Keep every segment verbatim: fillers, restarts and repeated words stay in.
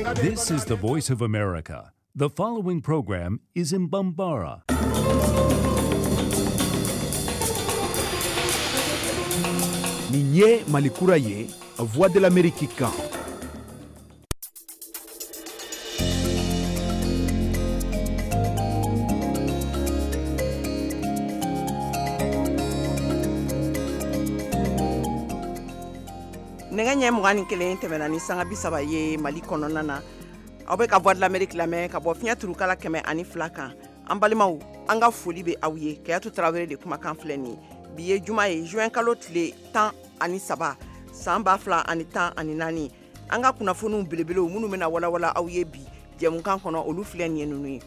This is the Voice of America. The following program is in Bambara. Nin ye Mali kura ye, Voix de l'Amérique kan. Nɛgɛ ɲɛ mugan ni kelen tɛmɛna ni sanga bi saba ye Mali kɔnɔna na. Aw bɛ ka Voix de l'Amérique lamɛn ka bɔ fiɲɛ turukala kɛmɛ ani fila kan. An balimaw, an ka foli bɛ aw ye. Kayatu Tarawele de kumakan filɛ nin ye. Bi ye juma ye, juin kalo tile tan ani saba, san ba fila ani tan ani naani. An ka kunnafoniw belebelew minnu bɛna walawala aw ye bi jɛmukan kɔnɔ, olu filɛ nin ye ninnu ye.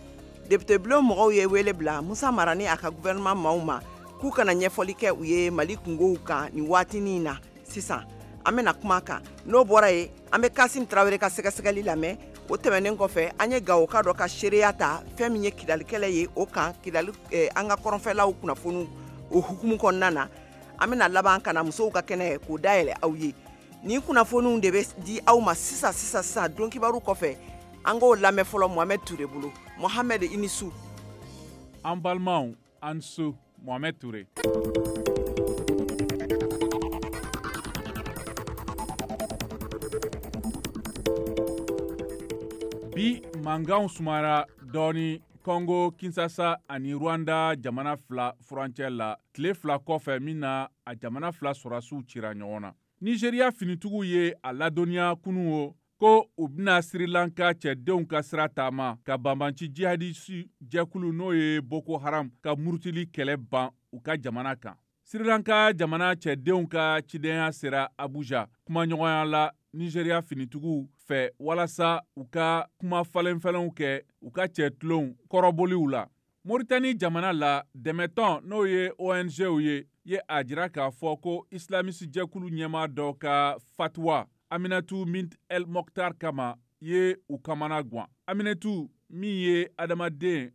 Député bulon mɔgɔw ye wele bila Musa Mara ni a ka gouvernement maaw ma k'u kana ɲɛfɔli kɛ u ye Mali kungow kan nin waatinin na sisan. An bɛna kuma kan. N'o bɔra yen, an bɛ Kasim Tarawele ka sɛgɛsɛgɛli lamɛn. O tɛmɛnen kɔfɛ, an ye Gawoka dɔ ka seereya ta fɛn min ye Kidalikɛlɛ ye, o kan Kidali eh, an ka kɔrɔnfɛlaw kunnafoniw o hukumu kɔnɔna na. An bɛna laban ka na musow ka kɛnɛ k'o dayɛlɛ aw ye. Nin kunnafoniw de bɛ di aw ma sisan sisan sisan don kibaru kɔfɛ. An k'o lamɛn fɔlɔ Mohamed Toure bolo. Mohamed, i ni su. An balimaw, an su. Mohamed Toure. Bi mankanw sumara dɔɔni Congo Kinshasa ani Rwanda jamana fila furancɛ la tile fila kɔfɛ min na a jamana fila sɔrɔdasiw cira ɲɔgɔn na. Nigeria finitigiw ye a ladɔnniya kunun o ko u bɛna Sri Lanka cɛdenw ka sira taama ka banbanci jihadisi jɛkulu n'o ye Boko Haram ka murutili kɛlɛ ban u ka jamana kan. Sri Lanka jamana cɛdenw ka cidenya sera Abuja kumaɲɔgɔnya la Nigeria finitigiw fɛ walasa u ka kuma falenfalenw kɛ u ka cɛtulonw kɔrɔboliw la. Mauritanie jamana la, dɛmɛtɔn n'o ye O N Gw ye ye a jira k'a fɔ ko islamisi jɛkulu ɲɛmaa dɔ ka fatuwa Aminatu Mint El Mokhtar kama ye u kamana gan. Aminatu min ye adamaden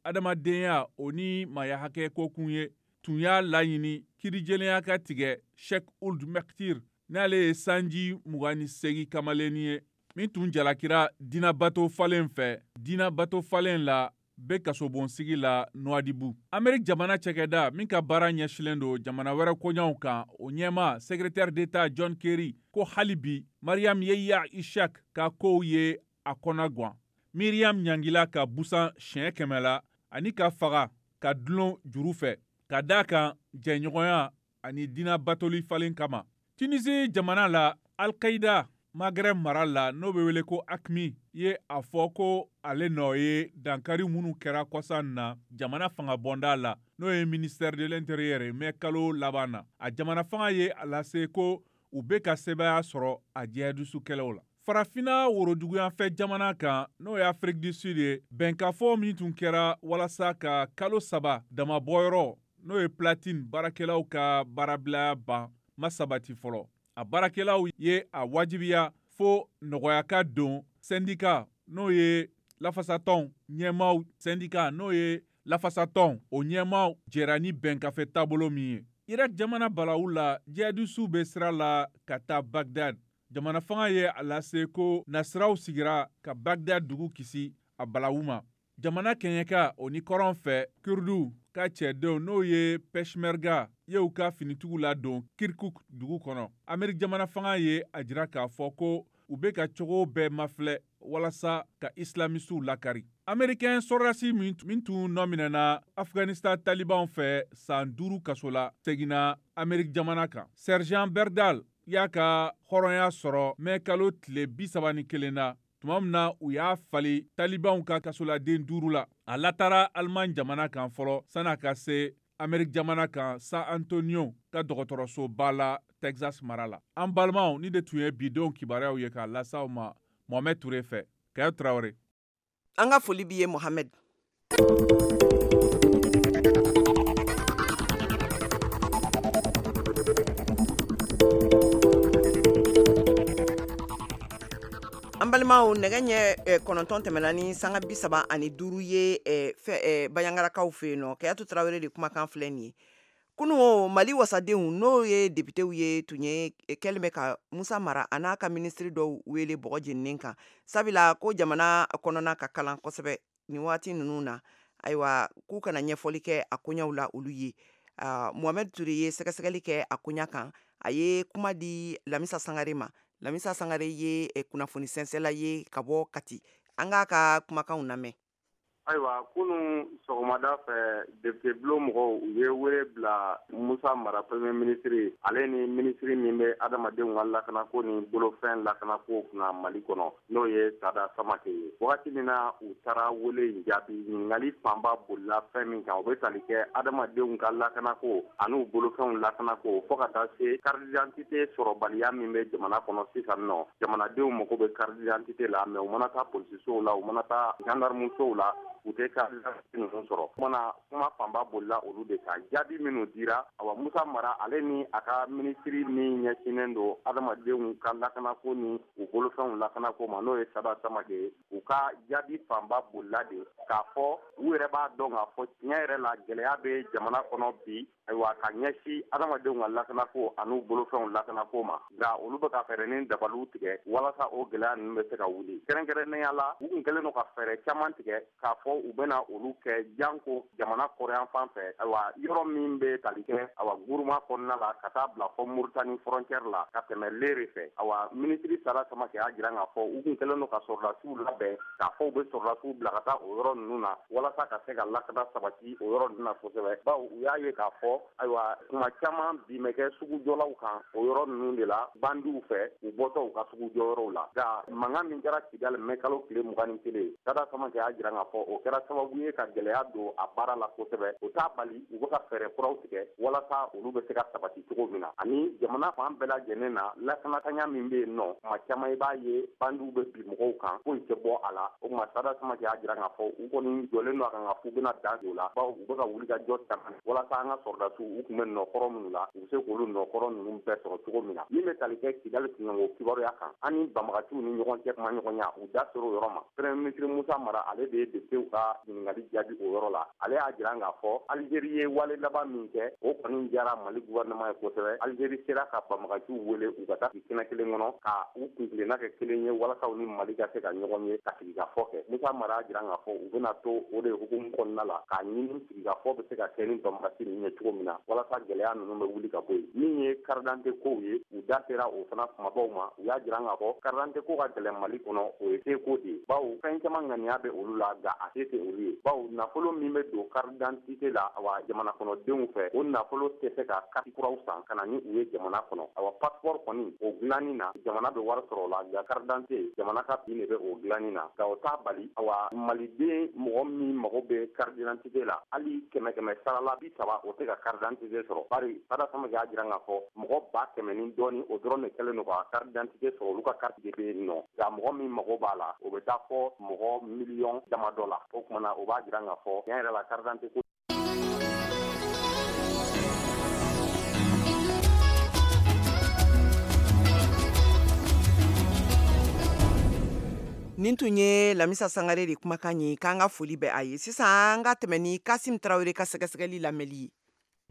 adamadenya o ni maaya hakɛ kokun ye, tun y'a laɲini kiirijelenya ka tigɛ Sheikh Ould Mektir n'ale ye sanji mugan ni seegin kamalennin ye min tun jalakira dinabato falen fɛ dinabato falen la bɛ kasobonsigi la Nouadhibou. Amérique jamana cɛkɛda min ka baara ɲɛsilen don jamana wɛrɛ koɲaw kan, o ɲɛmaa secrétaire d'État John Kerry ko hali bi Mariam Yeya Ishak ka kow ye a kɔnɔ gan. Miriam ɲangila ka busan siɲɛ kɛmɛ la ani ka faga ka dulon juru fɛ ka d'a kan jɛɲɔgɔnya ani dinabatoli falen kama. Tunisie jamana la, Al-Qaïda Maghreb mara la n'o bɛ wele ko A Q M I ye a fɔ ko ale nɔ ye dankari minnu kɛra kɔsa in na jamana fanga bɔnda la n'o ye ministère de l'Intérieur ye mɛ kalo laban na. A jamana fanga ye a lase ko u bɛ ka sebaaya sɔrɔ a jihadisu kɛlɛw la. Farafinna woroduguyanfɛ jamana kan n'o ye Afrique du Sud ye, bɛnkafɔ min tun kɛra walasa ka kalo saba damabɔyɔrɔ n'o ye platine baarakɛlaw ka baarabilaya ban ma sabati fɔlɔ. A baarakɛlaw ye a wajibiya fo nɔgɔya ka don syndicat n'o ye lafasatɔn ɲɛmaaw syndicat n'o ye lafasatɔn o ɲɛmaaw jɛra ni bɛnkafe taabolo min ye. Irak jamana balawu la, jihadisiw bɛ sira la ka taa Bagdad. Jamana fanga ye a lase ko nasiraw sigira ka Bagdad dugu kisi a balawu ma. Jamana kɛɲɛka o ni kɔrɔn fɛ Kurdu ka cɛdenw n'o ye Peshmerga ye u ka finitigiw ladon Kirkuk dugu kɔnɔ. Amérique jamana fanga ye a jira k'a fɔ ko u bɛ ka cogo bɛɛ mafilɛ walasa ka islamisiw lakari. Américain sɔrɔdasi min tun nɔ minɛna Afghanistan talibanw fɛ san duuru kaso la seginna Amérique jamana kan. Sergent Berdal y'a ka hɔrɔnya sɔrɔ mɛ kalo tile bi saba ni kelen na tuma min na u y'a fali talibanw ka kasoladen duuru la. A latara Allemagne jamana kan fɔlɔ san'a ka se Amérique jamana kan San Antonio ka dɔgɔtɔrɔsoba la Texas mara la. An balimaw, ni de tun ye bidenw kibaruyaw ye k'a lase aw ma Mohamed Toure fɛ. Kayatu Tarawele. An ka foli b'i ye Mohamed. An balimaw, nɛgɛ ɲɛ kɔnɔntɔn tɛmɛna ni sanga bi saba ani duuru ye fɛ Bayangarakaw fɛ yen nɔ. Kayatu Tarawele de kumakan filɛ nin ye. Kunun Mali wasadenw, n'o ye depitew ye, tun ye kɛlen bɛ ka Musa Mara a n'a ka minisiri dɔw wele bɔgɔ jeninen kan, sabula ko jamana kɔnɔna ka kalan kosɛbɛ nin waati ninnu na. Ayiwa, k'u kana ɲɛfɔli kɛ a koɲɛw la olu ye. Mohamɛd Ture ye sɛgɛsɛgɛli kɛ a koɲa kan. A ye kuma di Lamisa Sangare ma. Lamisa Sangare ye kunnafoni sɛnsɛla ye ka bɔ Kati. An k'a ka kumakanw lamɛn. Ayiwa, kunun sɔgɔmada fɛ, député bulon mɔgɔw, u ye wele bila Musa Mara, premier ministre, ale ni minisiri min bɛ adamadenw ka lakanako ni bolofɛn lakanako kunna Mali kɔnɔ, n'o ye Sada Samake ye. Wagati min na u taara wele in jaabi, ɲininkali fanba bolila fɛn min kan, o bɛ tali kɛ adamadenw ka lakanako ani bolofɛnw lakanako, fo ka taa se carte d'identité sɔrɔbaliya min bɛ jamana kɔnɔ sisan nɔ. Jamanadenw mago bɛ carte d'identité la, mais u mana taa polisisow la, u mana taa gendarmesow la, u tɛ carte d'identité ninnu sɔrɔ. Kumana, kuma fanba bolila olu de kan. Jaabi minnu dira, awa, Musa Mara ale ni a ka minisiri min ɲɛsinnen don adamadenw ka lakanako ni u bolofɛnw lakanako ma, n'o ye Sada Samake ye, u ka jaabi fanba bolila de k'a fɔ u yɛrɛ b'a dɔn k'a fɔ tiɲɛ yɛrɛ la, gɛlɛya bɛ jamana kɔnɔ bi, ayiwa, ka ɲɛsin adamadenw ka lakanako ani bolofɛnw lakanako ma, nka olu bɛ ka fɛɛrɛ ni dabaliw tigɛ walasa o gɛlɛya ninnu bɛ se ka wuli. Kɛrɛnkɛrɛnnenya la, u kun kɛlen don ka fɛɛrɛ caman tigɛ k'a fɔ u bɛna olu kɛ janko jamana kɔrɔyan fan fɛ, ayiwa, yɔrɔ min bɛ tali kɛ, awa, Guruma kɔnɔna la ka taa bila fɔ Muritani frontière la ka tɛmɛ Lere fɛ. Awa, minisiri Sada Samake y'a jira k'a fɔ u kun kɛlen don ka sɔrɔdasiw labɛn, k'a fɔ u bɛ sɔrɔdasiw bila ka taa o yɔrɔ ninnu na walasa ka se ka lakana sabati o yɔrɔ ninnu na kosɛbɛ, bawo u y'a ye k'a fɔ, ayiwa, kuma caman bin bɛ kɛ sugujɔlaw kan o yɔrɔ ninnu de la bandiw fɛ, u bɔtɔ u ka sugujɔyɔrɔw la. Nka mankan min kɛra Kidali mɛ kalo tile mugan ni kelen, Sada Samake y'a jira k'a fɔ o kɛra sababu ye ka gɛlɛya don a baara la kosɛbɛ. O t'a bali, u bɛ ka fɛɛrɛ kuraw tigɛ walasa olu bɛ se ka sabati cogo min na, ani jamana fan bɛɛ lajɛlen na, lakanatanya min bɛ yen nɔ. Kuma caman, i b'a ye bandiw bɛ bin mɔgɔw kan, foyi tɛ bɔ a la. O tuma, Sada Samake y'a jira k'a fɔ u kɔni jɔlen don a kan k'a fɔ u bɛna dan don o la, bawo u bɛ ka wuli ka jɔ caman walasa an ka sɔrɔdasiw, u tun bɛ nɔkɔrɔ minnu la, u bɛ se k'olu nɔkɔrɔ ninnu bɛɛ sɔrɔ cogo min na. Min bɛ tali kɛ Kidali kunkanko kibaruya kan ani banbagaciw ni ɲɔgɔn cɛ kumaɲɔgɔnya, u da sera o yɔrɔ ma. Premier ministre Musa Mara, ale de ye députéw ka ɲininkali jaabi o yɔrɔ la. Ale y'a jira k'a fɔ Algérie ye wale laban min kɛ, o kɔni diyara Mali gouvernement ye kosɛbɛ. Algérie sera ka banbagaciw wele u ka taa kɛnɛ kelen kɔnɔ ka u kuntilenna kɛ kelen ye walasa u ni Mali ka se ka ɲɔgɔn ye ka sigikafɔ kɛ. Musa Mara y'a jira k'a fɔ u bɛna to o de hukumu kɔnɔna la k'a ɲini sigikafɔ bɛ se ka kɛ ni banbagaci ninnu ye cogo min na, walasa gɛlɛya ninnu bɛ wuli ka bɔ yen. Min ye carte d'identité kow ye, u da sera o fana kumabaw ma. U y'a jira k'a fɔ carte d'identité ko ka gɛlɛn Mali kɔnɔ, o ye seko de ye, bawo fɛn caman ŋaniya bɛ olu la, nka a se tɛ olu ye, bawo nafolo min bɛ don carte d'identité la, awa, jamana kɔnɔdenw fɛ, o nafolo tɛ se ka carte kuraw san ka na ni u ye jamana kɔnɔ. Awa, passeport kɔni, o dilanni na, jamana bɛ wari sɔrɔ o la, nka carte d'identité, jamana ka bin de bɛ o dilanni na. Nka o t'a bali, awa, maliden mɔgɔ min mago bɛ carte d'identité la, hali kɛmɛ kɛmɛ sara la bi saba, o tɛ ka carte d'identité sɔrɔ, bari Sada Samake y'a jira k'a fɔ mɔgɔ ba kɛmɛ ni dɔɔni, o dɔrɔn de kɛlen don ka carte d'identité sɔrɔ, olu ka carte de bɛ yen nɔ. Nka mɔgɔ min mago b'a la, o bɛ taa fɔ mɔgɔ miliyɔn damadɔ la. O kumana, o b'a jira k'a fɔ tiɲɛ yɛrɛ la, carte d'identité ko Nin tun ye Lamisa Sangare de kumakan ye. K'an ka foli bɛ a ye. Sisan an ka tɛmɛ ni Kasim Tarawele ka sɛgɛsɛgɛli lamɛnli ye.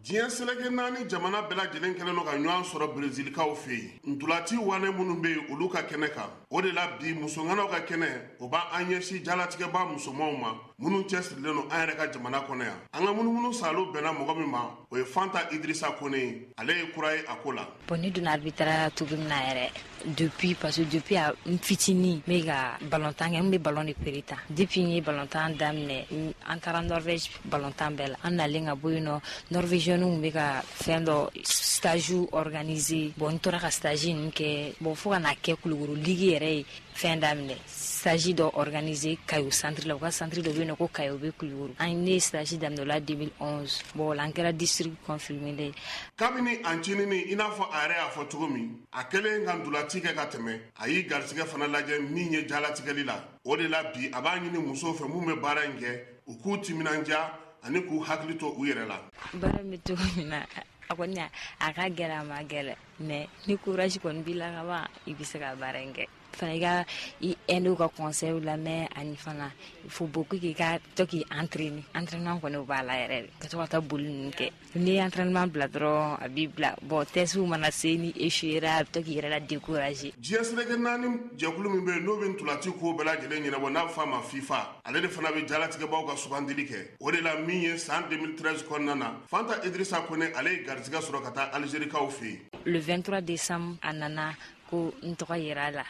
Diɲɛ seleke naani jamana bɛɛ lajɛlen kɛlen don ka ɲɔgɔn sɔrɔ Brezilikaw fɛ yen, ntolati wane minnu bɛ yen, olu ka kɛnɛ kan. O de la bi, musoŋanaw ka kɛnɛ, o b'an ɲɛsin jalatigɛba musomanw ma minnu cɛsirilen don an yɛrɛ ka jamana kɔnɔ yan. An ka munumunu salo bɛnna mɔgɔ min ma, o ye Fanta Idirisa Kone ye. Ale ye kura ye a ko la. Bon, ne donna arbitrage cogo min na yɛrɛ, depuis, parce que depuis a n fitinin, n bɛ ka balontan kɛ, n bɛ ballon de pere ta. Depuis n ye balontan daminɛ, an taara Norvège balontan bɛɛ la. An nalen ka bɔ yen nɔ, norvégienw bɛ ka fɛn dɔ stage organiser. Bon, n tora ka stage ninnu kɛ. Bon, fo ka n'a kɛ Kulukoro ligue yɛrɛ ye fɛn daminɛ, stage dɔ organiser Kayo centre la. U ka centre dɔ bɛ yen nɔ ko Kayo, bɛ Kulukoro. An ne ye stage daminɛ o la deux mille onze. Bon, o la an kɛra district confirmé ye. Kabini a ncinin, i n'a fɔ a yɛrɛ y'a fɔ cogo min, a kɛlen ka ntolaci kɛ ka tɛmɛ, a y'i garisɛgɛ fana lajɛ min ye jalatigɛli la. O de la bi, a b'a ɲini musow fɛ mun bɛ baara in kɛ, u k'u timinandiya ani k'u hakili to u yɛrɛ la. Baara bɛ cogo min na, a kɔni a ka gɛlɛn, a ma gɛlɛn, mais ni courage kɔni b'i la ka ban, i bɛ se ka baara in kɛ. fana i ka i aînéw ka conseil lamɛn, ani fana il faut beaucoup k'i ka to k'i entraîner. Entraînement kɔni o b'a la yɛrɛ de, ka to ka taa boli ninnu kɛ. N'i ye entraînement bila dɔrɔn a b'i bila. Bon, test mana se, ni échouera, a bɛ to k'i yɛrɛ la décourager. Diɲɛ seleke naani jɛkulu min bɛ yen n'o bɛ ntolaci ko bɛɛ lajɛlen ɲɛnabɔ, n'a bɛ f'a ma FIFA, ale de fana bɛ jalatigɛbaw ka sugandili kɛ. O de la min ye san deux mille treize kɔnɔna na, Fanta Idrissa Kone ale ye garijɛgɛ sɔrɔ ka taa Algérikaw fɛ yen. Le vingt-trois décembre a nana ko n tɔgɔ yera la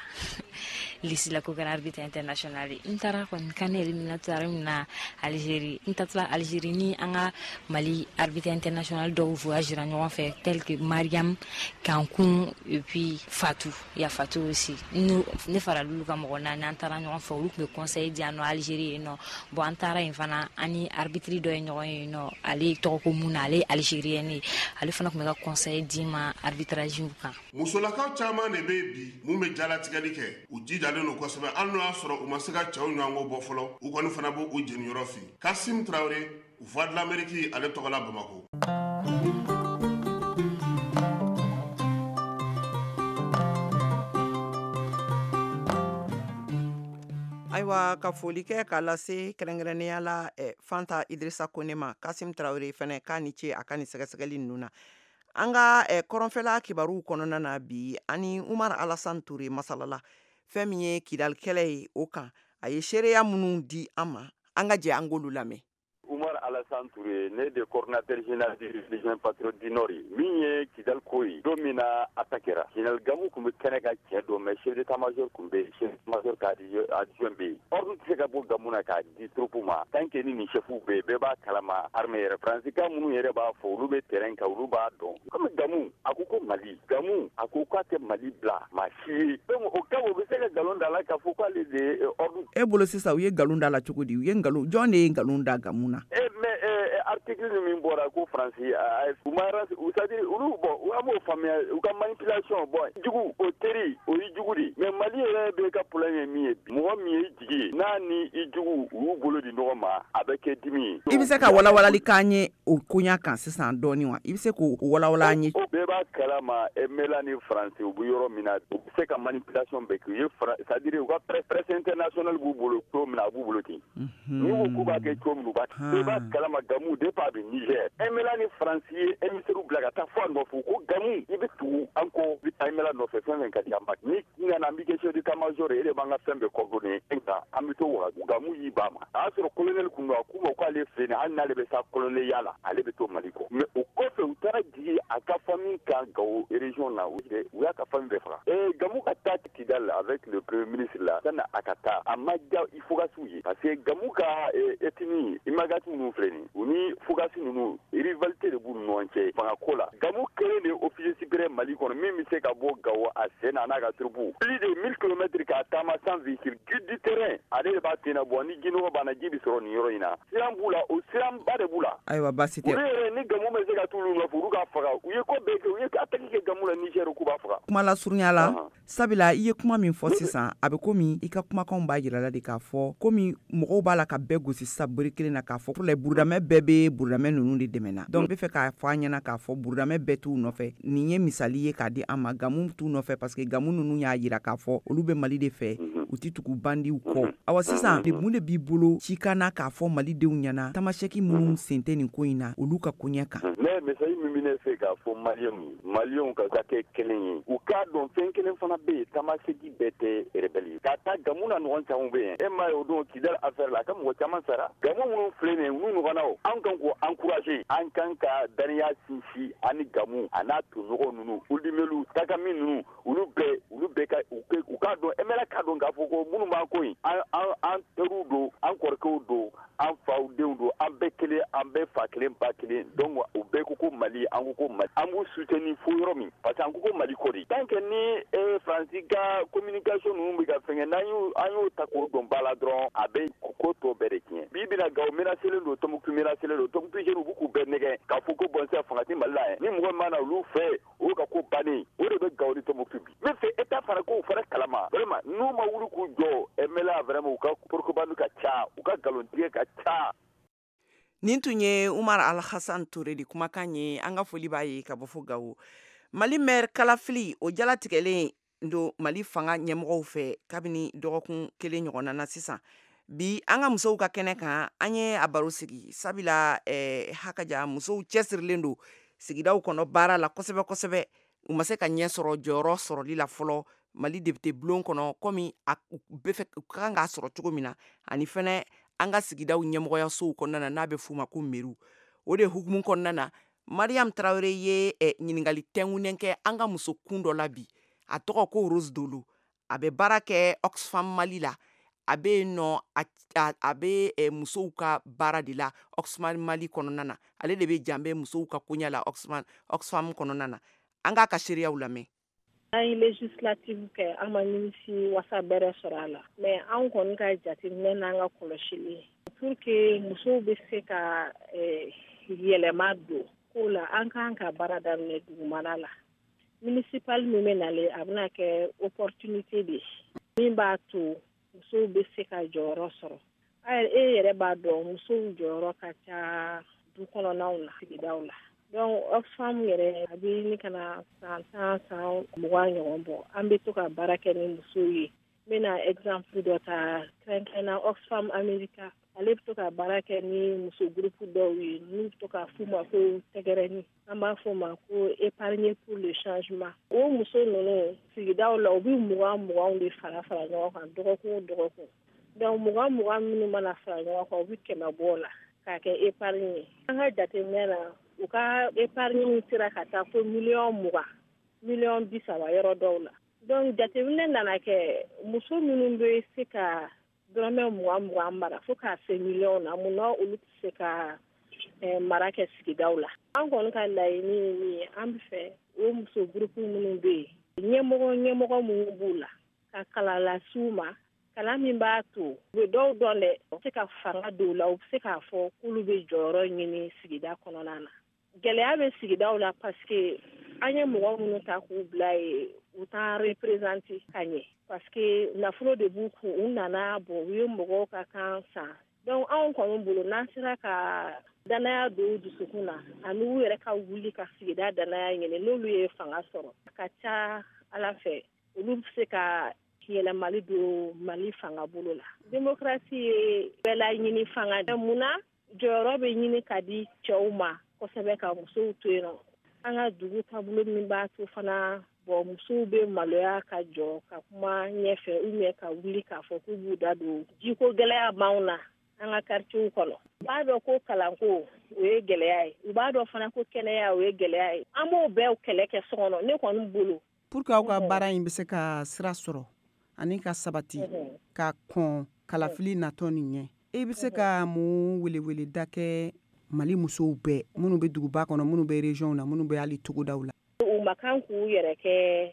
liste la ko kɛra arbitre international ye. N taara kɔni CAN éliminatoire min na Algérie, n taatɔla Algérie ni an ka Mali arbitre international dɔw voyagera ɲɔgɔn fɛ, tel que Mariam Kankun et puis Fatou, il y a Fatou aussi. Ne faral'olu ka mɔgɔ naani, an taara ɲɔgɔn fɛ. Olu tun bɛ conseil di yan nɔ Algérie yen nɔ. Bon, an taara yen fana, an ni arbitre dɔ ye ɲɔgɔn ye yen nɔ, ale tɔgɔ ko Muna, ale ye algérien ye, ale fana tun bɛ ka conseil di ma arbitrage kan. Musolakaw caman de bɛ bi mun bɛ jalatigɛli kɛ, u jijalen don kosɛbɛ, hali n'o y'a sɔrɔ u ma se ka cɛw ɲɔgɔnko bɔ fɔlɔ, u kɔni fana b'u u jeniyɔrɔ fin. Kasim Traoré, Voix de l'Amérique, ale tɔgɔ la Bamakɔ. Ayiwa, ka foli kɛ k'a lase kɛrɛnkɛrɛnnenya la eh, Fanta Idrissa Kone ma, Kasim Traoré fɛnɛ k'a ni ce a ka nin sɛgɛsɛgɛli ninnu na. An ka eh, kɔrɔnfɛla kibaruw kɔnɔna na bi, ani Umar Alassane Touré masalala fɛn min ye Kidal kɛlɛ ye, o kan a ye seereya minnu di an ma, an ka jɛ an k'olu lamɛn. Umar Alassane Touré, ne de coordinateur général du Légion patriote du Nord ye. Min ye Kidal ko ye, don min na attaque kɛra, général Gamou tun bɛ kɛnɛ ka cɛ dɔn, mais chef d'état-major tun bɛ yen, chef d'état-major ka adjoint bɛ yen. Ordre tɛ se ka bɔ Gamou na k'a di troupe ma tant que ni nin chef bɛ yen. Bɛɛ b'a kalama, armée yɛrɛ, Faransikan minnu yɛrɛ b'a fɔ, olu bɛ terrain kan, olu b'a dɔn. Comme Gamou a ko ko Mali, Gamou a ko k'a tɛ Mali bila maa si ye, donc o cas o bɛ se ka nkalon da la k'a fɔ k'ale de ye ordre. E bolo sisan, u ye nkalon da la cogo di? U ye nkalon, jɔn de ye nkalon da Gamou na? Eh mais eh, article min bɔra ko Faransi u ma, c'est-à-dire olu, bon, an b'o faamuya, u ka manipulation. Bon, jugu o teri o ye jugu de, mais Mali yɛrɛ bɛ ka problème ye min ye, mɔgɔ min ye jigi ye, n'a ni i jugu u y'u bolo di ɲɔgɔn ma, a bɛ kɛ dimi ye. I bɛ se ka walawalali k'an ye o koɲa kan sisan dɔɔni wa? I bɛ se k'o walawala an ye? O bɛɛ b'a kalama, M L A ni Faransi u bɛ yɔrɔ min na, u bɛ se ka manipulation bɛɛ kɛ. U ye, c'est-à-dire u ka presse internationale b'u bolo cogo min na, a b'u bolo ten. N'u ko k'u b'a kɛ cogo min, u b'a kɛ. Bɛɛ b'a kalama, Gamou depuis a bɛ Niger, M L A ni Faransi ye émissaire bila ka taa fɔ a nɔfɛ ko Gamou, i bɛ tugu an kɔ, i bɛ taa M L A nɔfɛ, fɛn fɛn ka di an ma. Ni nana, an b'i kɛ chef d'état-major ye, e de b'an ka fɛn bɛɛ coordonner, nka an bɛ to Wagadugu. Gamou y'i ban ma, a y'a sɔrɔ colonel kun don, a k'u ma k'ale filɛ nin ye, hali n'ale bɛ taa colonel ya la, ale bɛ to Mali kɔ. Mais o kɔfɛ, u taara jigin a ka famille kan Gao région na, u y'a ka famille bɛɛ faga. Ee, Gamou ka taa Kidal avec le premier ministre la, sanni a ka taa, a ma diya Ifogasiw ye, parce que Gamou ka ethnie Imagati ninnu filɛ nin, u ni Fugasi ninnu, rivalité de b'u ni ɲɔgɔn cɛ fanga ko la. Gamou kelen de ye officier supérieur Mali kɔnɔ min bɛ se ka bɔ Gao a sen na, a n'a ka troupe, plus de mille kilomètres k'a taama sans véhicule, guide du terrain, ale de b'a sen na. Bɔ ni jinɔgɔ banna, ji bɛ sɔrɔ nin yɔrɔ in na, siran b'u la, o siranba de b'u la. Ayiwa, baasi tɛ. Olu yɛrɛ ni Gamou bɛ se ka t'olu nɔfɛ, olu k'a faga. U ye ko bɛɛ kɛ, u ye attaque kɛ Gamou la Niger, k'u b'a faga. Kuma lasurunya la, sabula i ye kuma min fɔ sisan, a bɛ komi i ka kumakanw b'a jira la de k'a fɔ komi mɔgɔw b'a la ka bɛɛ gosi sisan bere kelen na, k'a fɔ la burudamɛ bɛɛ bɛ burudamɛ ninnu de dɛmɛ. Donc n bɛ fɛ k'a fɔ an ɲɛna k'a fɔ burudamɛ bɛɛ t'u nɔfɛ. Nin ye misali ye k'a di an ma. Gamu t'u nɔfɛ parce que Gamu ninnu y'a jira k'a fɔ olu bɛ Mali de fɛ, u tɛ tugu bandiw kɔ. Awa, sisan mun de b'i bolo cikan na k'a fɔ malidenw ɲɛna, Tamasɛki minnu sen tɛ nin ko in na, olu ka koɲɛ kan? Ne message min bɛ ne fɛ k'a fɔ Maliyɛnw ye, Maliyɛnw ka ka kɛ kelen ye, u k'a dɔn fɛn kelen fana bɛ yen, Tamasɛki bɛɛ tɛ rebelle ye. Ka taa Gamu na, ɲɔgɔn caman bɛ yen. E m'a ye, o don Kidali affaire la, a ka mɔgɔ caman sara. Gamu minnu filɛ nin ye, olu ɲɔgɔnnaw, an kan k'o encourager, an kan ka daniya sinsin ani Gamu a n'a toɲɔgɔn ninnu, Uludimelu Takami ninnu, olu bɛɛ, olu bɛɛ ka u k'a dɔn, M L A k'a dɔn k'a fɔ ko minnu b'an ko in, an an an teriw don, an kɔrɔkɛw don, an faw denw don, an bɛɛ kelen, an bɛɛ fa kelen ba kelen. Donc u bɛɛ ko ko Mali, an ko ko Mali, an b'u soutenir fo yɔrɔ min, parce que an ko ko Mali ko de. Tant que ni eh, Faransi ka communication ninnu bɛ ka fɛngɛ, n'an y'o an y'o ta k'o don ba la dɔrɔn, a bɛ ko tɔ bɛɛ de tiɲɛ. Bi bi na, Gawo menacelen don, Tɔnbukutu menacelen don, Tɔnbukutu jeunes u b'u k'u bɛɛ nɛgɛ k'a fɔ ko bon, sisan fanga tɛ Mali la yɛrɛ, ni mɔgɔ min mana olu fɛ, o ka ko bannen o de bɛ Gawo ni Tɔnbukutu. Bi n bɛ fɛ État fana k'o fana kalama. Vraiment, n'u ma wuli k'u jɔ, M L A, vraiment, u ka propagande ka ca, u ka nkalontigɛ ka ca. Nin tun ye Umar Alhassan Ture de kumakan ye. An ka foli b'a ye ka bɔ fo Gawo. Mali maire kalafili, o jalatigɛlen. don Mali fanga ɲɛmɔgɔw fɛ kabini dɔgɔkun kelen ɲɔgɔnna na sisan. Bi an ka musow ka kɛnɛ kan, an ye a baro sigi sabula eh, hakaja musow cɛsirilen don sigidaw kɔnɔ baara la kosɛbɛ kosɛbɛ. U ma se ka ɲɛ sɔrɔ jɔyɔrɔ sɔrɔli la fɔlɔ Mali député bulon kɔnɔ komi a bɛ fɛ u ka kan k'a sɔrɔ cogo min na, ani fɛnɛ an ka sigidaw ɲɛmɔgɔyasow kɔnɔna na n'a bɛ f'u ma ko mairie. O de hukumu kɔnɔna na, Mariam Traoré ye eh, ɲininkali tɛnkunnen kɛ an ka muso kun dɔ la bi. A tɔgɔ ko Rose Dolo. A bɛ baara kɛ Oxfam Mali la. A bɛ yen nɔ, a, a bɛ eh, musow ka baara de la Oxfam Mali kɔnɔna na. Ale de bɛ janbɛ musow ka koɲɛ la Oxfam, Oxfam kɔnɔna na. An k'a ka seereyaw lamɛn. An ye législative kɛ, an ma nimisi wasa bɛrɛ sɔrɔ a la, mais anw kɔni ka jateminɛ n'an ka kɔlɔsili pour que musow bɛ se ka eh, yɛlɛma don ko la, an kan ka baara daminɛ dugumana la. Municipal min bɛ nalen, a bɛna kɛ opportunité de ye min b'a to musow bɛ se ka jɔyɔrɔ sɔrɔ. E yɛrɛ b'a dɔn musow jɔyɔrɔ ka ca du kɔnɔnaw na, sigidaw la. Donc Oxfam yɛrɛ a bɛ ɲini ka na san tan san mugan ɲɔgɔn bɔ, an bɛ to ka baara kɛ ni musow ye. N bɛna exemple dɔ ta kɛrɛnkɛrɛnna Oxfam America, ale bɛ to ka baara kɛ ni muso groupe dɔw ye n'u bɛ to k'a f'u ma ko tɛgɛrɛni, an b'a f'o ma ko épargner pour le changement. O muso ninnu sigidaw la, u bɛ mugan muganw de fara fara ɲɔgɔn kan dɔgɔkun o dɔgɔkun. Donc mugan mugan minnu mana fara ɲɔgɔn kan, u bɛ kɛmɛ bɔ o la k'a kɛ épargne ye. An ka jateminɛ na, u ka épargne sera ka taa fo miliyɔn mugan, miliyɔn bi saba yɔrɔ dɔw la. Donc jateminɛ nana kɛ muso minnu bɛ se ka dɔrɔmɛ mugan mugan mara fo k'a se miliyɔn na, munna olu tɛ se ka eh, mara kɛ sigidaw la. An kɔni ka laɲini ye min ye, an bɛ fɛ o muso groupe minnu bɛ yen, ɲɛmɔgɔ ɲɛmɔgɔ minnu b'u la, ka kalan las'u ma, kalan min b'a to u bɛ dɔw dɔn dɛ, u bɛ se ka fanga don u la, u bɛ se k'a fɔ k'olu bɛ jɔyɔrɔ ɲini sigida kɔnɔna na. Gɛlɛya bɛ sigidaw la parce que an ye mɔgɔ minnu ta k'u bila yen, u t'an représenter ka ɲɛ parce que nafolo de b'u kun, u nana bɔn u ye mɔgɔw ka kan san. Donc anw kɔni bolo, n'an sera ka danaya don u dusukun na ani u yɛrɛ ka wuli ka sigida danaya ɲini, n'olu ye fanga sɔrɔ, a ka ca Ala fɛ olu bɛ se ka yɛlɛmali don Mali fanga bolo la. Démocratie ye bɛɛ laɲini fanga. Munna jɔyɔrɔ bɛ ɲini ka di cɛw ma kosɛbɛ ka musow to yen nɔ? An ka dugu taabolo min b'a to fana bɔn musow bɛ maloya ka jɔ ka kuma ɲɛfɛ ou bien ka wuli k'a fɔ k'u b'u da don jiko gɛlɛya b'anw na an ka quartier kɔnɔ. U b'a dɔn ko kalanko o ye gɛlɛya ye, u b'a dɔn fana ko kɛnɛya o ye gɛlɛya ye. An b'o bɛɛ kɛlɛ kɛ so kɔnɔ, ne kɔni bolo. Pour que aw ka baara in bɛ se ka sira sɔrɔ ani ka sabati ka kɔn kalafili natɔ nin ɲɛ, e bɛ se ka mun weleweleda kɛ Mali musow bɛɛ minnu bɛ duguba kɔnɔ, minnu bɛ région na, minnu bɛ hali togodaw la? U ma kan k'u yɛrɛ kɛ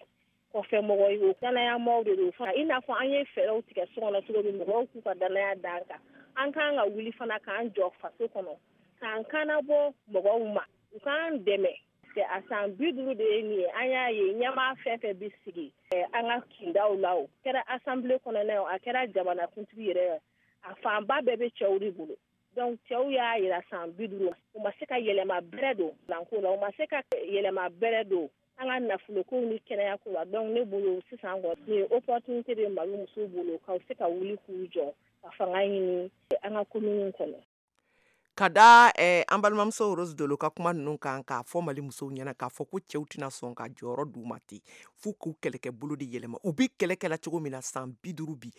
kɔfɛmɔgɔ ye, o danayamɔgɔw de don. I n'a fɔ an ye fɛɛrɛw tigɛ so kɔnɔ cogo min, mɔgɔw k'u ka danaya d'an kan. An kan ka wuli fana k'an jɔ faso kɔnɔ, k'an kannabɔ mɔgɔw ma, u k'an dɛmɛ. A san bi duuru de ye nin ye, an y'a ye ɲɛmaa fɛn fɛn bɛ sigi an ka kindaw la, o kɛra assemblée kɔnɔna ye, a kɛra jamanakuntigi yɛrɛ ye, a fanba bɛɛ bɛ cɛw de bolo. Donc cɛw y'a yira san bi duuru, u ma se ka yɛlɛma bɛrɛ don kalanko la, u ma se ka yɛlɛma bɛrɛ don an ka nafolokow ni kɛnɛyako la. Donc ne bolo sisan kɔni nin ye opportunité de Mali musow bolo ka se ka wuli k'u jɔ ka fanga ɲini an ka commune kɔnɔ. Ka da eh, an balimamuso Rose Dolo ka kuma ninnu kan k'a fɔ Mali musow ɲɛna k'a fɔ ko cɛw tɛna sɔn ka jɔyɔrɔ d'u ma ten, f'u k'u kɛlɛkɛ bolo de yɛlɛma. U bɛ kɛlɛ kɛla cogo min na san bi duuru bi,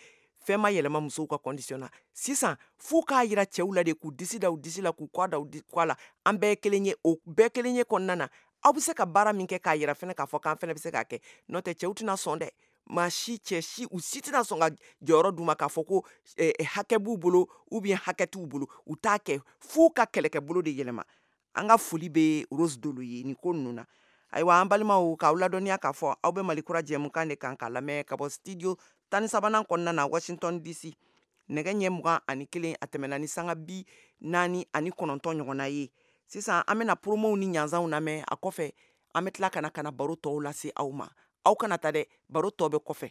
fɛn ma yɛlɛma musow ka condition na. Sisan f'u k'a yira cɛw la de, k'u disi da u disi la, k'u kɔ da u kɔ la, an bɛɛ ye kelen ye. O bɛɛ kelen ye kɔnɔna na, aw bɛ se ka baara min kɛ k'a yira fɛnɛ k'a fɔ k'an fɛnɛ bɛ se k'a kɛ. N'o tɛ cɛw tɛna sɔn dɛ, maa si cɛ si u si tɛna sɔn ka jɔyɔrɔ d'u ma k'a fɔ ko eh, hakɛ b'u bolo ou bien hakɛ t'u bolo. U t'a kɛ, f'u ka kɛlɛkɛ bolo de yɛlɛma. An ka foli bɛ Rose Dolo ye nin ko ninnu na. Ayiwa an balimaw, k'aw ladɔnniya k'a fɔ aw bɛ Mali kura jɛmukan de kan k'a lamɛn ka bɔ studio tan ni sabanan kɔnɔna na Washington D C. Nɛgɛ ɲɛ mugan ani kelen a tɛmɛna ni sanga bi naani ani kɔnɔntɔn ɲɔgɔnna ye. Sisan an bɛna promow ni ɲanzanw lamɛn, a kɔfɛ an bɛ tila ka na ka na baro tɔw lase aw ma. Aw kana taa dɛ, baro tɔ bɛ kɔfɛ.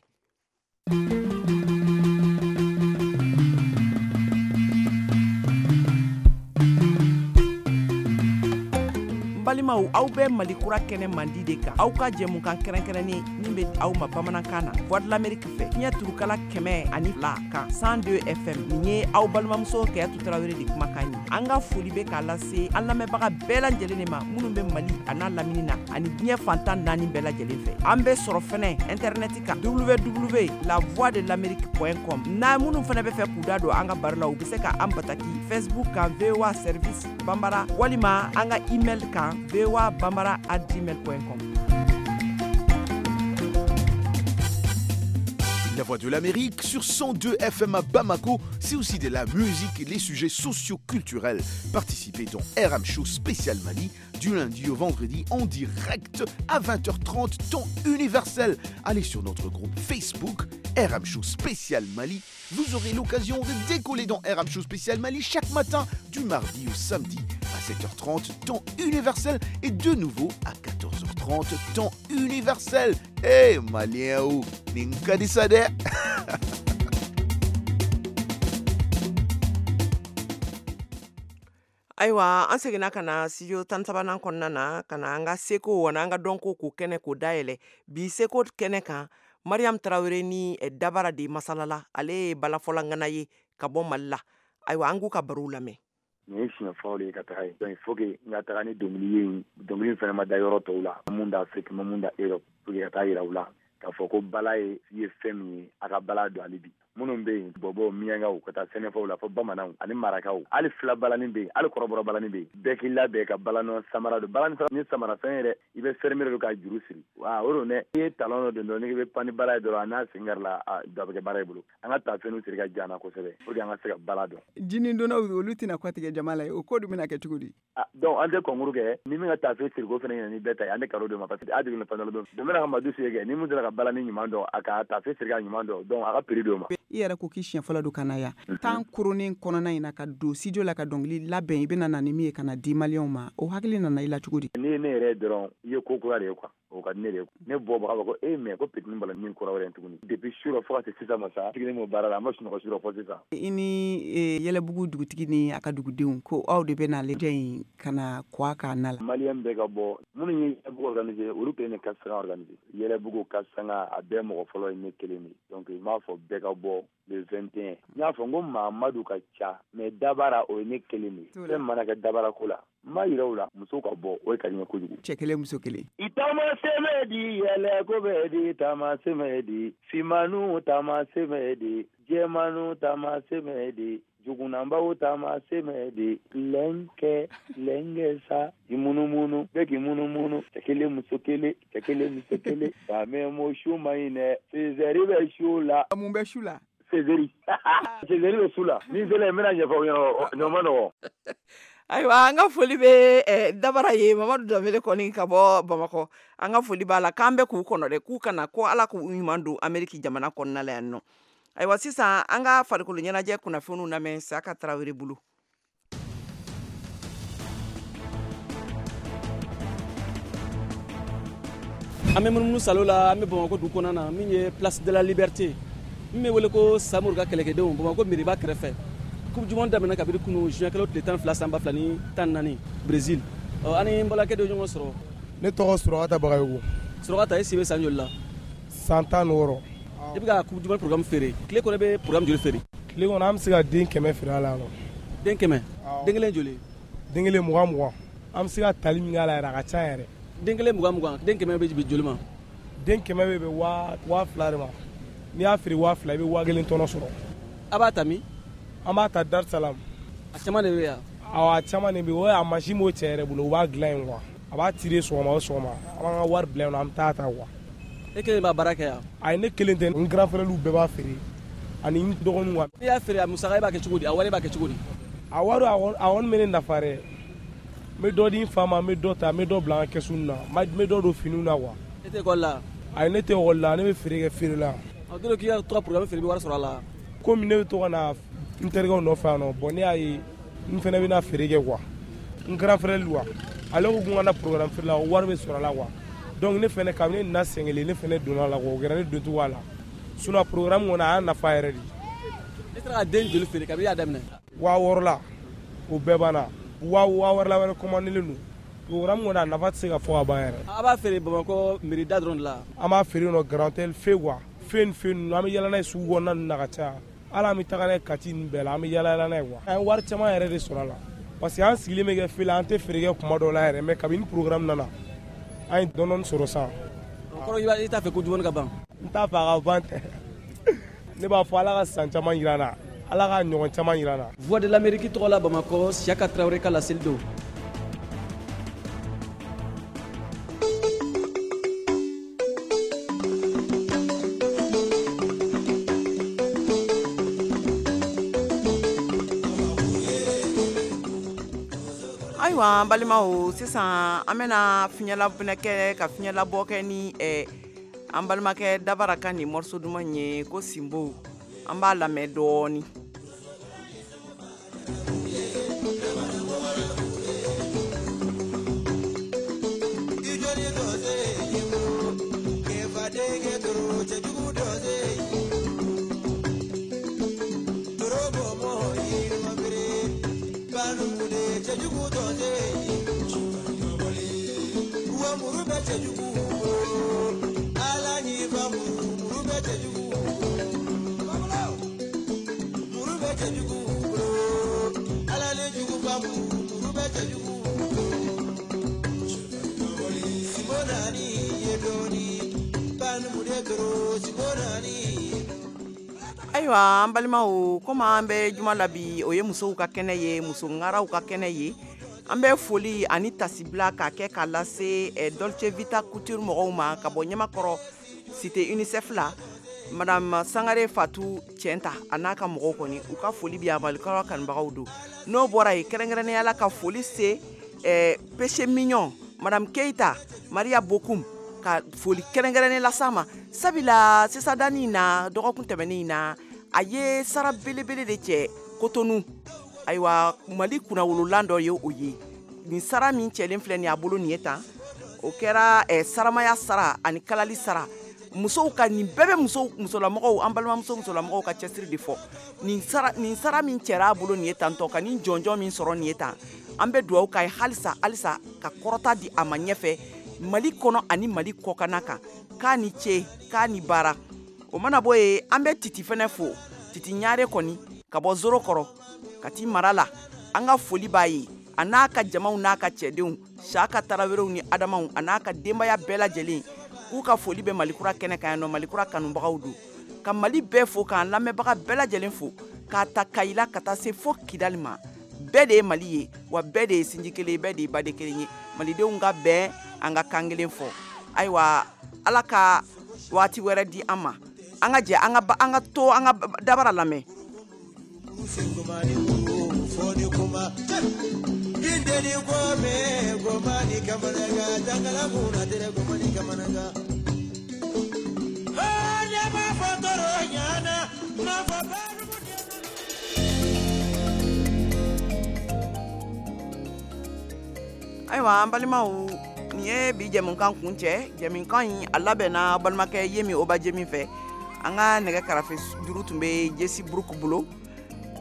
N balimaw, balimaw, aw bɛ Mali kura kɛnɛ mandi de kan, aw ka jɛmukan kɛrɛnkɛrɛnnen min bɛ aw ma bamanankan na Voix de l'Amérique fɛ, fiɲɛ turukala kɛmɛ ani fila kan cent deux F M. Nin ye aw balimamuso Kayatu Tarawele de kumakan ye. An ka foli bɛ k'a lase an lamɛnbaga bɛɛ lajɛlen de ma minnu bɛ Mali a n'a lamini na ani diɲɛ fantan naani bɛɛ lajɛlen fɛ. An bɛ sɔrɔ fɛnɛ internet kan w w w la voix de l'amérique point com. N'a minnu fɛnɛ bɛ fɛ k'u da don an ka baro la, u bɛ se ka an bataki Facebook kan V O A Service Bambara walima an ka email kan v o a bambara at gmail point com. La Voix de l'Amérique sur cent deux F M à Bamako, c'est aussi de la musique et les sujets socio-culturels. Participez dans R M Show Spécial Mali du lundi au vendredi en direct à vingt heures trente temps universel. Allez sur notre groupe Facebook R M Show Spécial Mali. Vous aurez l'occasion de décoller dans R M Show Spécial Mali chaque matin du mardi au samedi à sept heures trente temps universel et de nouveau à quatorze heures trente temps universel. Eh hey, Malien ou Ninkadisade. Ayiwa, an seginna ka na studio tan sabanan kɔnɔna na ka na an ka seko ani an ka dɔnko k'o kɛnɛ k'o dayɛlɛ. Bi seko kɛnɛ kan, Mariam Tarawele ni Dabara de masalala, ale ye balafɔlangana ye ka bɔ Mali la. Ayiwa, an k'u ka barow lamɛn. Nin ye siɲɛ fɔlɔ de ye ka taga yen. Donc il faut que n ka taga ni dɔnkili ye, dɔnkili in fana ma da yɔrɔ tɔw la, mun da Afrique, ma mun da Europe, pour que ka taa yira u la k'a fɔ ko bala ye ye fɛn min ye, a ka bala don hali bi. Minnu bɛ yen, bɔbɔw, miyankaw, ka taa sɛnɛfɔw la fo bamananw ani marakaw, hali fila balani bɛ yen, hali kɔrɔbɔrɔ balani bɛ yen. Bɛɛ k'i labɛn ka balanɔ samara don. Balani ni samara fɛn yɛrɛ, i bɛ fermer don k'a juru siri. Wa o don dɛ, i ye talon dɔ don dɔrɔn, n'i bɛ pan ni bala ye dɔrɔn, a n'a sen kari la, a dɔ bɛ kɛ baara i bolo. An ka taafew siri ka jan na kosɛbɛ pour que an ka se ka bala dɔn. Jinin donnaw olu tɛna kɔtigɛ jama la ye, o ko dun bɛna kɛ cogo di? Donc an tɛ concours kɛ, ni min ka taafe siriko fana ɲɛna ni bɛɛ ta ye, an tɛ cadeau d'o ma parce que a jiginna fɛn dɔ la don. Don bɛna ka madu sigi kɛ, ni min sera ka balani ɲuman dɔn, a ka taafe siri ka ɲuman dɔn, donc a ka prix d'o ma. I yɛrɛ ko k'i siɲɛ fɔlɔ don ka na yan, tan koronnen kɔnɔna in na ka don studio la ka dɔnkili labɛn, i bɛna na ni min ye ka na di maliyɛnw ma, o hakili nana i la cogo di? N'i ye ne yɛrɛ dɔrɔn, i ye ko kura de ye quoi, o ka di ne de ye. Ne bɔbaga b'a fɔ ko e mais ko petit bala min kura wɛrɛ tuguni. Depuis su rɔ fo ka se sisan ma sa, sigilen b'o baara la, an ma sunɔgɔ su rɔ fo sisan. I ni Yɛlɛbugu dugutigi ni a ka dugudenw ko aw de bɛ na ale in ka na kɔ k'a na la. Maliyɛn bɛɛ ka bɔ, minnu ye Yɛlɛbugu organiser, olu kelen de ka sanga organiser. Yɛlɛbugu ka sanga a bɛɛ mɔgɔ fɔlɔ ye ne kelen de. Donc n b'a fɔ bɛɛ ka bɔ le vingt et un. N y'a fɔ n ko Mamadu ka ca, mais Dabara o ye ne kelen de ye. Fɛn mana kɛ Dabara ko la, n b'a yira u la, musow ka bɔ, o ye ka di n ye kojugu. Cɛ kelen, muso kelen. I taama sɛmɛ di, yɛlɛ ko bɛ di, taama sɛmɛ di, finmanu taama sɛmɛ di, jɛmanu taama sɛmɛ di, jugunanbaw taama sɛmɛ di, lɛnkɛ lɛnkɛ sa, i munumunu, bɛɛ k'i munumunu, cɛ kelen muso kelen, cɛ kelen muso kelen. Faamɛ mo su ma ɲi dɛ, Césaire bɛ su la. Mun bɛ su la? Césaire. Césaire bɛ su la. Ni sera yen, n bɛna ɲɛfɔ aw ɲɛna, ɲɔ ma nɔgɔn. Ayiwa, an ka foli bɛ Dabara ye, Mamadu Danbele kɔni ka bɔ Bamakɔ. An ka foli b'a la, k'an bɛ k'u kɔnɔ dɛ, k'u kana ko Ala k'u ɲuman don Ameriki jamana kɔnɔna la yan nɔ. Ayiwa, sisan an ka farikolo ɲɛnajɛ kunnafoniw lamɛn Saka Tarawele bolo. An bɛ munumunu salo la, an bɛ Bamakɔ dugu kɔnɔna na, min ye Place de la Liberté, min bɛ wele ko Samori ka kɛlɛkɛdenw, Bamakɔ meriba kɛrɛfɛ. Coupe du monde daminɛ kabini kunu juin kalo tile tan fila san ba fila ni tan naani Brésil. Ɔ, an ni n balakɛ dɔ ɲɔgɔn sɔrɔ. Ne tɔgɔ Surakata Bagayogo. Surakata, e si bɛ san joli la? San tan ni wɔɔrɔ. I bɛ ka coupe du monde programme feere. Tile kɔnɔ i bɛ programme joli feere? Tile kɔnɔ an bɛ se ka den kɛmɛ feere a la yan nɔ. Den kɛmɛ? Den kelen joli? Den kelen mugan mugan. An bɛ se ka tali min k'a la yɛrɛ, a ka ca yɛrɛ. Den kelen mugan mugan, den kɛmɛ bɛ bɛn joli ma? Den kɛmɛ bɛ bɛn waa waa fila de ma. N'i y'a feere waa fila, i bɛ waa kelen tɔnɔ sɔrɔ. A b'a ta min? An b'a ta Dar Salam. A caman de bɛ yan? Awɔ, a caman de bɛ yen. O a mansin b'o cɛ yɛrɛ bolo, u b'a dilan yen quoi. A b'a tirer sɔgɔma o sɔgɔma. An b'an ka wari bila yen nɔ, an bɛ taa ta quoi. E kelen b'a baara kɛ yan? Ayi, ne kelen tɛ, n grand frère bɛɛ b'a feere ani n dɔgɔninw quoi. N'i y'a feere, a musaka e b'a kɛ cogo di? A wari e b'a kɛ cogo di? A wari, a kɔni bɛ ne nafa dɛ. N bɛ dɔ di n fa ma, n bɛ dɔ ta, n bɛ dɔ bila n ka kɛsu na, n bɛ dɔ don finiw na quoi. E tɛ ekɔli la? Ayi, ne tɛ ekɔli la, ne bɛ feere kɛ feere la. Ɔ, don dɔ k'i ka to ka programme feere, i bɛ wari sɔrɔ a la? Komi ne bɛ to ka na n terikɛw nɔfɛ yan nɔ, bon ne y'a ye n fana bɛna feere kɛ quoi. N grand frère quoi, ale ko ko n ka na programme feere la, wari bɛ sɔrɔ a la quoi. Donc ne fana kabini ne nana sen kelen, ne fana donna a la quoi, o kɛra ne doncogo a la. Sinon programme kɔni a y'a nafa yɛrɛ de. E sera ka den joli feere kabini i y'a daminɛ? Waa wɔɔrɔ la, o bɛɛ banna. Waa waa wɛrɛ la wɛrɛ commandelen don. Programme kɔni a nafa tɛ se ka fɔ ka ban yɛrɛ. A b'a feere Bamakɔ mairie da dɔrɔn de la. An b'a feere yen nɔ Grand Hôtel fe quoi. Fe ni fe ninnu an bɛ yala n'a ye sugu kɔnɔna ninnu na ka caya. Hali an bɛ taga n'a ye Kati ninnu bɛɛ la, an bɛ yala yala n'a ye quoi. An ye wari caman yɛrɛ de sɔrɔ a la. Parce que an sigilen bɛ kɛ fe la, an tɛ feere kɛ kuma dɔw la yɛrɛ, mais kabini programme nana, an ye dɔɔni dɔɔni sɔrɔ sisan. O kɔrɔ i t'a fɛ ko dumuni ka ban? N t'a fɛ a ka ban tɛ. Ne b'a fɔ Ala ka san caman jira an na. Ala ka ɲɔgɔn caman jira an na. Voix de l'Amérique tɔgɔ la Bamakɔ, Siaka Traoré ka laseli don. Ayiwa an balimaw, sisan an bɛna fiɲɛlabinɛ kɛ ka fiɲɛlabɔ kɛ ni eh, an balimakɛ Dabara ka nin morceau duman ye ko Sinbo. An b'a lamɛn dɔɔni. Ayiwa an balimaw, komi an bɛ juma la bi, o ye musow ka kɛnɛ ye, muso ŋaraw ka kɛnɛ ye. An bɛ foli ani tasibila k'a kɛ k'a lase eh, Dolce Vita Couture mɔgɔw ma ka bɔ Ɲamakɔrɔ cité UNICEF la. Madame Sangare Fatou Tienta a n'a ka mɔgɔw kɔni, u ka foli bi yan, Malikura kanubagaw don. N'o bɔra yen, kɛrɛnkɛrɛnnenya la ka foli se eh, Péché Mignon, Madame Keita, Maria Bokum, ka foli kɛrɛnkɛrɛnnen las'a ma. Sabula sisan danni in na, dɔgɔkun tɛmɛnen in na, a ye sara belebele de cɛ Cotonou. Ayiwa Mali kunnawololan dɔ ye o ye. Nin sara min cɛlen filɛ nin ye a bolo nin ye tan, o kɛra eh, saramaya sara ani kalali sara. Musow ka nin bɛɛ bɛ musow, musolamɔgɔw, an balimamuso musolamɔgɔw ka cɛsiri de fɔ. Nin sara, nin sara min cɛra a bolo nin ye tantɔ, ka nin jɔnjɔn min sɔrɔ nin ye tan, an bɛ dugawu k'a ye halisa halisa ka kɔrɔta di a ma ɲɛfɛ Mali kɔnɔ ani Mali kɔkanna kan. K'a ni ce, k'a ni baara. O mana bɔ yen, an bɛ Titi fɛnɛ fo. Titi Ɲare kɔni ka bɔ Zoro kɔrɔ ka t'i mara la, an ka foli b'a ye, a n'a ka jamaw n'a ka cɛdenw, Saka Tarawelew ni Adamaw, a n'a ka denbaya bɛɛ lajɛlen, k'u ka foli bɛ Malikura kɛnɛ kan yan nɔ. Malikura kanubagaw don. Ka Mali bɛɛ fo, k'an lamɛnbaga bɛɛ lajɛlen fo, k'a ta Kayila ka taa se fo Kidali ma. Bɛɛ de ye Mali ye, wa bɛɛ de ye sinji kelen ye, bɛɛ de ye baden kelen ye. Malidenw ka bɛn, an ka kan kelen fɔ. Ayiwa Ala ka waati wɛrɛ di an ma. An ka jɛ, an ka an ka to an ka Dabara lamɛn. Ayiwa an balimaw, nin ye bi jɛmukan kun cɛ. Jɛmukan in a labɛnna balimakɛ Yemi Obajemi fɛ. An ka nɛgɛ karafe juru tun bɛ Jesi Buruku bolo.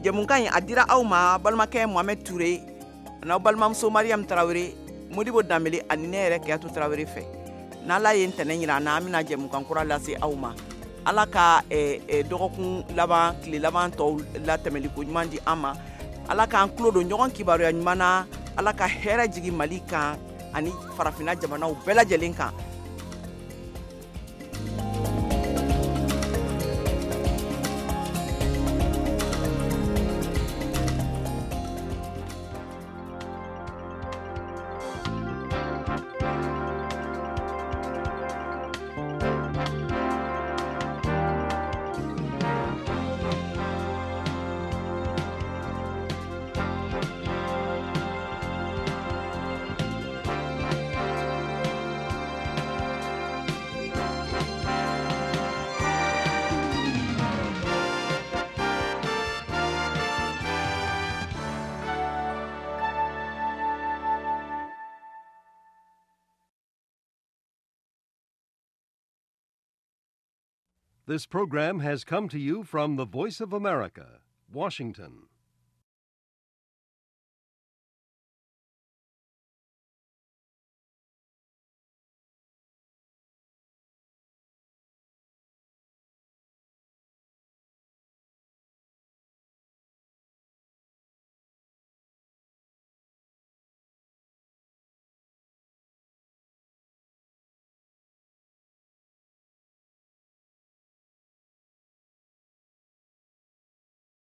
Jɛmukan in a dira aw ma balimakɛ Mohamed Touré, n'aw balimamuso Mariam Traoré, Modibo Danbele ani ne yɛrɛ Keyatu Traoré fɛ. N'Ala ye ntɛnɛn yira an na, an bɛna jɛmukan kura lase aw ma. Ala ka eh, eh, dɔgɔkun laban, tile laban tɔw latɛmɛli ko ɲuman di an ma. Ala k'an tulo don ɲɔgɔn kibaruya ɲuman na. Ala ka hɛrɛ jigin Mali kan ani farafinna jamanaw bɛɛ lajɛlen kan. This program has come to you from the Voice of America, Washington.